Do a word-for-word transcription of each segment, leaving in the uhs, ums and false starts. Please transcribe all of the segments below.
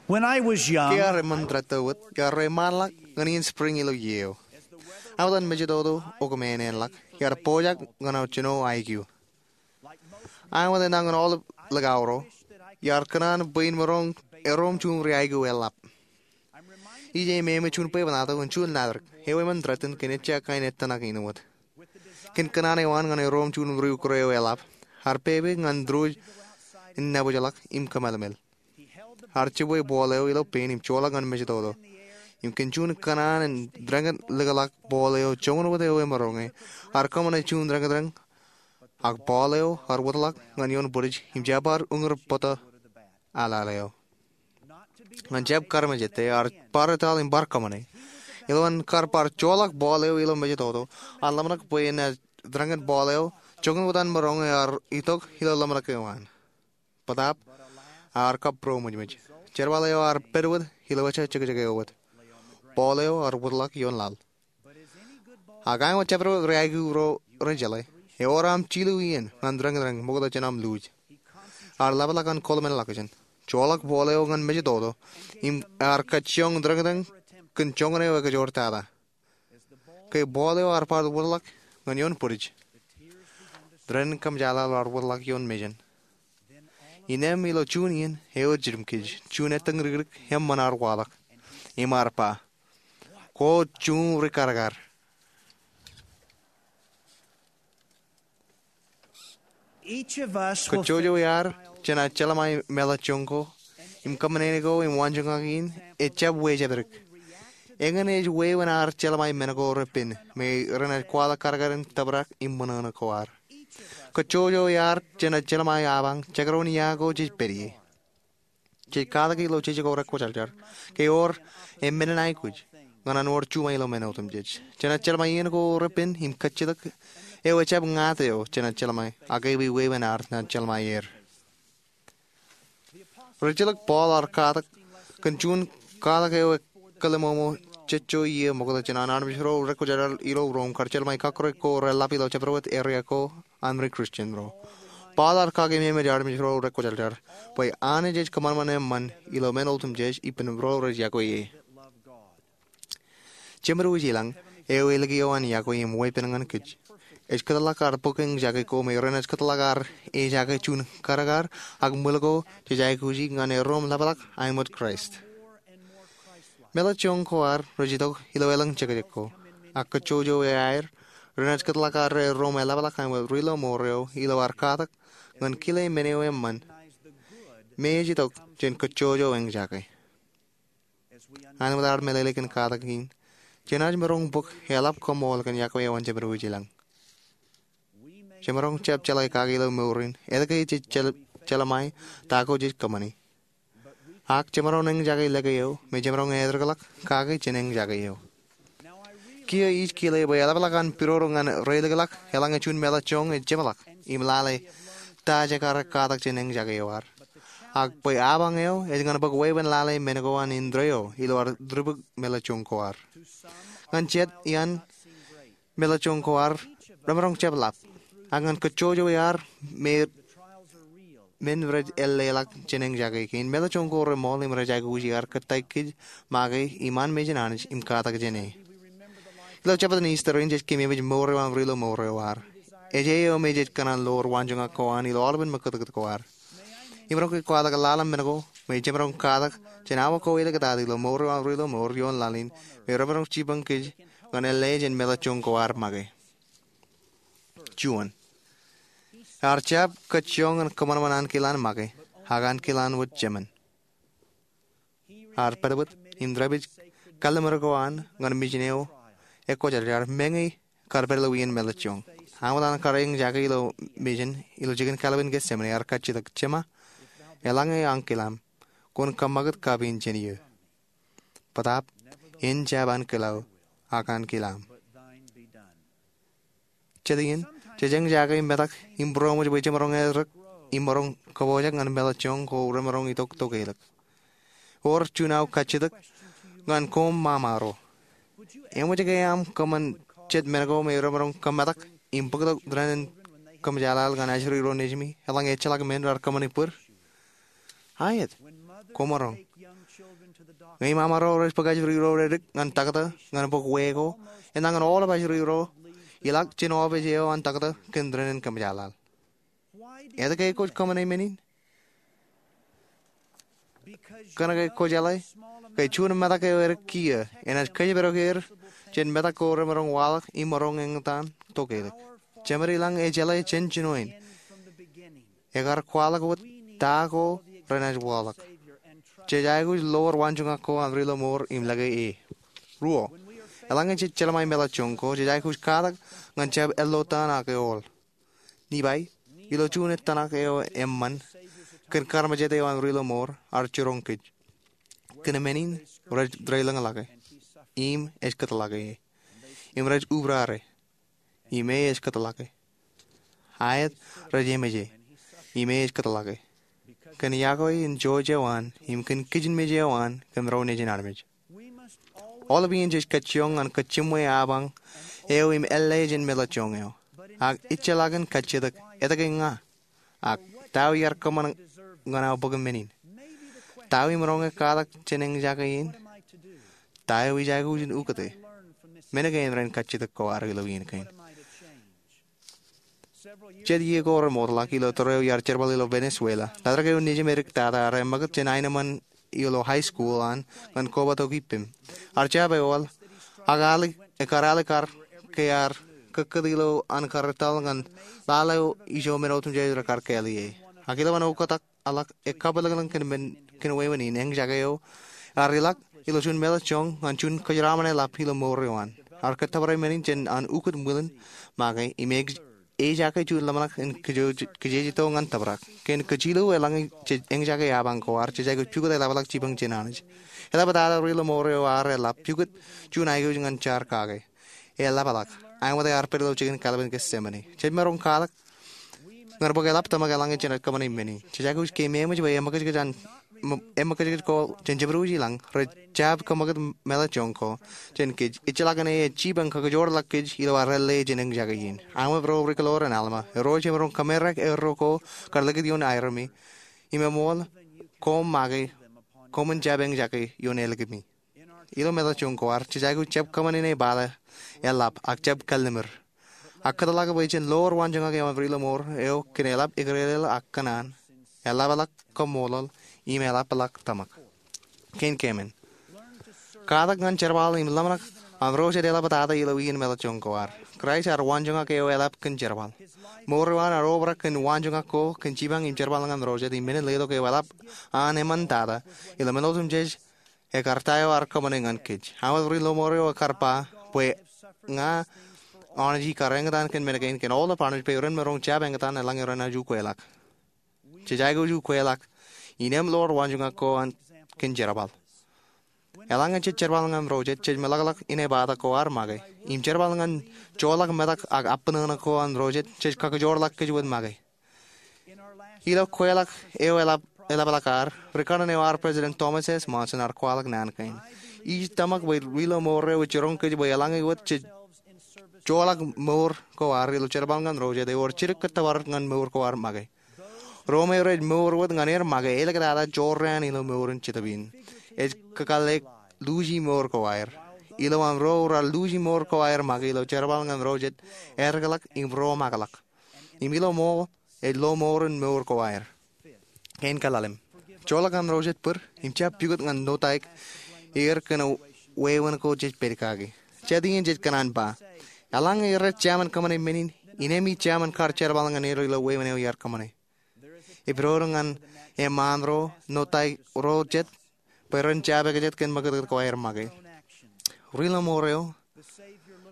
When I was young, ke iar eṃṃan tōtōt wōt, iar reiṃaanḷọk ñan iien spring ilo iiō eo. Aṃ etan mejatoto eo kōmāānḷọk, iar pojak ñan aō jino aikiu. Aṃ etan ñan aolep likao ro, iar kōṇaan bwe in maroñ erom juon ri aikiu eḷap. Ij aikuj im juon bwebwenato in juon laḷ eo eṃṃan tōtōt kōn ejja kain ettōṇak in wōt. Kōn kōṇaan eo an ñan erom juon ri ukure eo eḷap, ear pepe ñan tōre in nabōjḷọk im kōmālmel. Ear jibwe ball eo ilo pein im joḷọk ñan mejatoto. Im kōn juon kōṇaan in dānḷọk likḷọk ball eo joñan wōt eo emaroñe, ear kōṃṃane juon dānḷọkdānḷọk, ak ball eo ear wōtḷọk ñan ioon bwidej im jab bar uñūr bōtō aḷaḷ eo. Ñan jab kar mejātte, ear bar etal im bar kōṃṃane. Ilo an kar bar joḷọk ball eo ilo mejatoto, an ḷōmṇak bwe en dānḷọk ball eo joñan wōt an maroñe ear itok ilo ḷōmṇak eo an. Bōtaab, ear kab būroṃōjṃōj. Jerbal eo ear pād wōt ilo ejja jekjek eo wōt. Ball eo ear wōtḷọk ioon laḷ. Ak āinwōt jabdewōt ri aikiu ro rej jeḷā, ewōr aṃ jilu iien ñan dānḷọkdānḷọk ṃokta jān aṃ luuj. Ear ḷapḷọk an kōḷmenḷọkjeṇ, joḷọk ball eo ñan mejatoto, im ear kajjioñ dānḷọkdānḷọk kōn joñan eo ekajoor tata. Ke ball eo ear bar wōtḷọk ñan ioon bwidej, dānḷọkdānḷọk kōmjaaḷaḷ ear wōtḷọk ioon mejān. Innām ilo juon iien eo ej jidim kōj, juon ettōñ ri kiddik eṃṃan ear waḷọk. Im ear ba, "Kwōj juon ri karkar." Kajjojo iaad jenaaj jeḷmāe meḷọkjeṇ ko im kōṃṃane ko im waanjoñak in ejjab wejāpdik. Eñin ej wāween ad jeḷmāe men ko repen me renaaj kwaḷọk kadkad in tōprak im ṃōṇōṇō ko ad. Kajjojo iaad jenaaj jeḷmāe apañ jekdọọn ia ko jej pād ie. Jej katak ilo jeje ko rekwōjarjar ke ewōr emān in aikuj ñan an wōr juṃae ilo men otemjej. Jenaaj jeḷmāe iien ko repen im kajjitōk eo ejjab ñāāt eo jenaaj jeḷmāe, ak ewi wāween ad naaj jeḷmāe er. Rijilōk Paul ear katak kōn juon katak eo ekālōmōmō jejjo iiō ṃokta jān an armej ro rekwōjarjar ilo Rom kar jeḷmāe kakōrā ko reḷap ilo jabdewōt eria ko an ri Kristian ro. Paul ear kakememej armej ro rekwōjarjar bwe Anij ej kōṃanṃan eṃṃan ilo men otemjej ippān ro rej yokwe e. Jemedwōj ilañ eo ālikin eo an yokwe im weeppān ñan kōj ej kōtḷọk ad bōk eñjake ko me renaaj kōtḷọk ad ejake juon karkar ak ṃwil ko jej aikuji ñan erom ḷapḷọk aenōṃṃan Kraist. Meḷọkjeṇ ko ad rej itok ilo elōñ jekjek ko, ak kajjojo iaer renaaj kōtḷọk ad erom eḷapḷọk aenōṃṃan ri-lọmọọr eo ilo ad katak ñan kile men eo eṃṃan me ej itok jān kajjojo eñjake. Āinwōt ad meḷeḷe kōn katak in, jenaaj maroñ bōk eḷap kaṃool kōn yokwe eo an jemedwōj ilañ. Jemaroñ jab jeḷā kake ilo mour in etke jej jeḷmāe ta ko jej kōṃṃane. Ak jemaroñ eñjake lōke eo me jemaroñ etōrḷọk kake jān eñjake eo. Kiiō ij kile bwe eḷapḷọk an pidodo ñan reilikḷọk eḷaññe juon meḷọkjeṇ ej jeṃḷọk im lale ta jekar katak jān eñjake eo ad, ak bwe apañ eo ej ñan bōk wāween lale men ko an indeeo ilo ad tūbuk meḷọkjeṇ ko ad. Ñan jet iaan meḷọkjeṇ ko ad remaroñ jab ḷap, ak ñan kajjojo iaad me men rej ālleḷọk jān eñjake kein, meḷọkjeṇ ko reṃool im rej aikuji ad kōttāik kōj make iṃaan mejān Anij im katak jāne. Ilo jabta in Easter in jej kememej mour eo an ri-lọmọọr eo ad. Ej eo me jej kōṇaan lo waanjoñak ko an ilo aolepān ṃakūtkūt ko ad. Im maroñ ke kwaḷọk lale men ko me jemaroñ katak jān awa ko āliktata ilo mour eo an ri-lọmọọr ioon laḷ in me remaroñ jipañ kōj ñan ālle jān meḷọkjeṇ ko ad make. Juon, ear jab kajjioñ ñan kōṃanṃan ankilaan make, ak ankilaan wōt jemān. Ear pād wōt im dāpij kalliṃur ko an ñan mejān eo ekwōjarjar meñe kar pād ilo wien meḷọkjeṇ. Āinwōt an kar eñjake ilo mejān ilo jikin kallimur in Getsemane, ear kajjitōk, "Jema, eḷaññe ankilaṃ, kwōn kōṃṃakūt kapiin jān eō. Bōtaab, en jab ankilōḷ, ak ankilaṃ." Jet iien, jej eñjake metak im būroṃōj bwe jemaroñ erōk im maroñ kōpojak ñan meḷọkjeṇ ko remaroñ itok tokālik. Ewōr juon aō kajjitōk ñan koṃ ṃaṃa ro. Eṃōj ke aṃ kōṃṃan jet men ko me remaroñ kōmetak im bōktok dāneen kōmjaaḷaḷ ñan ajri ro nejimi eḷaññe ejjeḷọk men raar kōṃṃani bōd? Aet. Koṃaroñ. Ñe im amaro rej bōk ajri ro redik ñan taktō ñan bōk wee ko, enañin aolep ajri ro ilọk jān opiij eo an taktō kōn dān kōmjaaḷaḷ. Etke kwōj kōṃṃane men in? Kōnke kwō jeḷā ke juon metak eo edik kiiō enaaj kōjparok er jān metak ko remaroñ waḷọk im maroñ eñtaan tokālik. Jemed ilañ ej jeḷā jān jinoin. Ekar kwaḷọk wōt ta ko renaaj waḷọk. Jej aikuj lowōr waanjoñak ko an ri-lọmọọr im lōke e. Ruo, eḷaññe jej jeḷā ṃae meḷọkjeṇ ko, jej aikuj katak ñan jab ello taan ak eool. Nipai, ilo juon ettōṇak eo eṃṃan, kōn karmejād eo an ri-lọmọọr ear jiroñ kōj. Kōn men in, rej deḷọñḷọke, im ej kōtḷọke e. Im rej ubrare, im e ej kōtḷọke. Aet, rej emeje, im e ej kōtḷọke. Kōn iọkwe in jouj eo an, im kōn kijenmej eo an, kōn ro nejin armej. Aolep iien jej kajjioñ ñan kōj jiṃwe apañ eo im ālle jān meḷọkjeṇ eo. Ak ejjeḷọkin kajjitōk, etke ña? Ak ta eo iar kōṃṃan ñan aō bōk men in? Ta eo im roñe katak jān eñjake in? Ta eo ij aikuj in ukōte? Men kein ren kajjitōk ko ad ilo iien kein. Jet iiō ko remootḷọk ilo tōre eo iar jerbal ilo Venezuela, tōre eo nejim edik tata ear ṃakūt jān aenōṃṃan ilo high school an ñan kobatok ippem. Ear jab eool, ak ear alikkar ke ear kōkkūt ilo an karretal ñan lale eo ijo men otemjej rekar kāāl ie. Ak ilowaan oktak ḷọk e kabwilōñlōñ kōn men, kōn wāween in, eñjake eo ear ilọk ilo juon meḷọkjeṇ ñan juon kōjeraṃṃan eḷap ilo mour eo an. Ear kōttōpare men in jān an ukōt ṃwilen make im ej, ejake juon ḷōmṇak in kōjejito ñan tōprak. Kōn kōjjilōk eḷaññe jej eñjake apañ ko ad, jej aikuj pukot eḷapḷọk jipañ jān Anij. Eḷaptata ri-lọmọọr eo ear eḷap pukot juon aikuj ñan jaar kake. Eḷapḷọk. Āinwōt ear pād ilo jikin kalpen Getsemane. Jej maroñ katak ñan bōk eḷap tōmak eḷaññe jenaaj kōṃṃane men in. Jej aikuj ke eṃōj bwe eṃōkajkōj an, eṃōkajkōj ko jān jabdewōt ilañ rej jab kōṃṃakūt meḷọkjeṇ ko jān kōj, ejjeḷọkin e ej jipañ kakijoorḷọk kōj ilo ad ālle jān eñjake in. Aṃ ro ri-kiloor in Alma, erro jemaroñ kōmerak erro ko kar likūt ioon aerōmi im eṃool koṃ make koṃwin jab eñjake ioon ālikimi. Ilo meḷọkjeṇ ko ad, jej aikuj jab kōṃṃan inepata eḷap ak jab kallimur. Ak kōtḷọk bwe jen lowōr waanjoñak eo an ri-lọmọọr eo kōn eḷap eklejel ak kōṇaan, eḷapḷọk kaṃṃoolol, im eḷapḷọk tōmak. Kein keemān, katak ñan jerbal im ḷōmṇak an ro jet eḷaptata ilo iien meḷọkjeṇ ko ad. Kraist ear waanjoñak eo eḷap kōn jerbal. Mour eo an ear obrak kōn waanjoñak ko kōn jipañ im jerbal ñan ro jet im men in letok eo eḷap an eṃṃantata ilo men otemjej. Ekar ta eo ear kōṃṃane ñan kōj. Aṃ ri-lọmọọr eo ekar ba bwe ña Anij ikar eñtaan kōn men kein kōn aolep armej bwe ren maroñ jab eñtaan eḷaññe renaaj ukweḷọk. Jej aikuj ukweḷọk innem lowōr waanjoñak ko an kōn jerbal. Eḷaññe jej jerbal ñan ro jet, jej meḷọkḷọk inepata ko ad make. Im jerbal ñan joḷọk metak ak abṇōṇō ko an ro jet, jej kakijoorḷọk kōj wōt make. Ilo kweḷọk eo eḷap, eḷapḷọk ad, rikaṇin eo ar President Thomas S. Monson ear kwaḷọk naan kein. Ij tōmak bwe ri-lọmọọr eo ej jiroñ kōj bwe eḷaññe wōt jej joḷọk mour ko ad ilo jerbal ñan ro jet, ewōr jidik kōttōpar ñan mour ko ad make. Ro me rej mour wōt ñan er make, āliktata jorrāān ilo mour in Jetōb in. Ej kakālle luuji mour ko aer. Ilo aṃ ro raar luuji mour ko aer make ilo jerbal ñan ro jet, etikḷọk im romakḷọk. Im ilo ṃool, ej lo mour in mour ko aer. Kein kaḷalem, joḷọk an ro jet bōd, im jab pukot ñan notaik er kōn wāween ko jej pād kaki. Jet iien jej kōṇaan ba, eḷaññe rej jaṃin kōṃṃane men in, innem ij jaṃin kar jerbal ñan er ilo wāween eo iar kōṃṃane. Ej pād ñan eṃṃaan ro, notaik ro jet, bwe ren jab ekjet kōn ṃakūtkūt ko aer make. Ri-lọmọọr eo,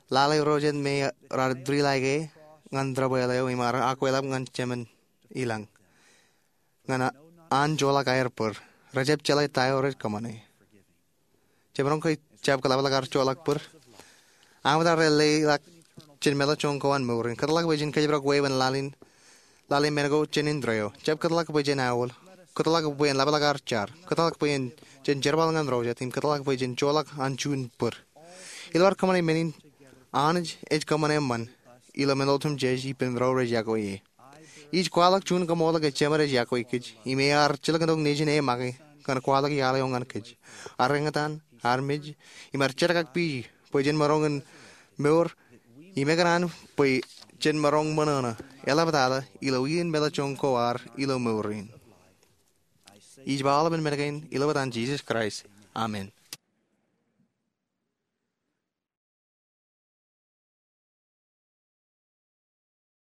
lale ro jet me raar tūrilaike ñan tōprak eo im ear akweḷap ñan Jemān ilañ. Ñan an joḷọk aer bōd, rejjab jeḷā ta eo rej kōṃṃane. Jemaroñ ke jab kōḷapḷọk ad joḷọk bōd? Aṃ ro rej leḷọk jān meḷọkjeṇ ko an mour in, kōtḷọk bwe jen kōjparok wāween laḷ in, laḷ in men ko jān indeeo. Jab kōtḷọk bwe jen aolep. Kōtḷọk bwe en ḷapḷọk ad jar. Kōtḷọk bwe jen jerbal ñan ro jet, im kōtḷọk bwe jen joḷọk an juon bōd. Ilo ad kōṃṃane men in, Anij ej kōṃṃan eṃṃan ilo men otemjej ippān ro rej iọkwe e. Ij kwaḷọk juon kaṃool ke Jemed ej iọkwe kōj, im ear jilkintok nejin e make ñan kwaḷọk iaḷ eo ñan kōj. Ar eñtaan, armej, im ar jerakakpeej bwe jen maroñ in mour im ekōṇaan bwe jen maroñ ṃōṇōṇō eḷaptata ilo iien meḷọkjeṇ ko ad ilo mour in. Ij ba aolepān men kein ilo etan Jisōs Kraist, amen.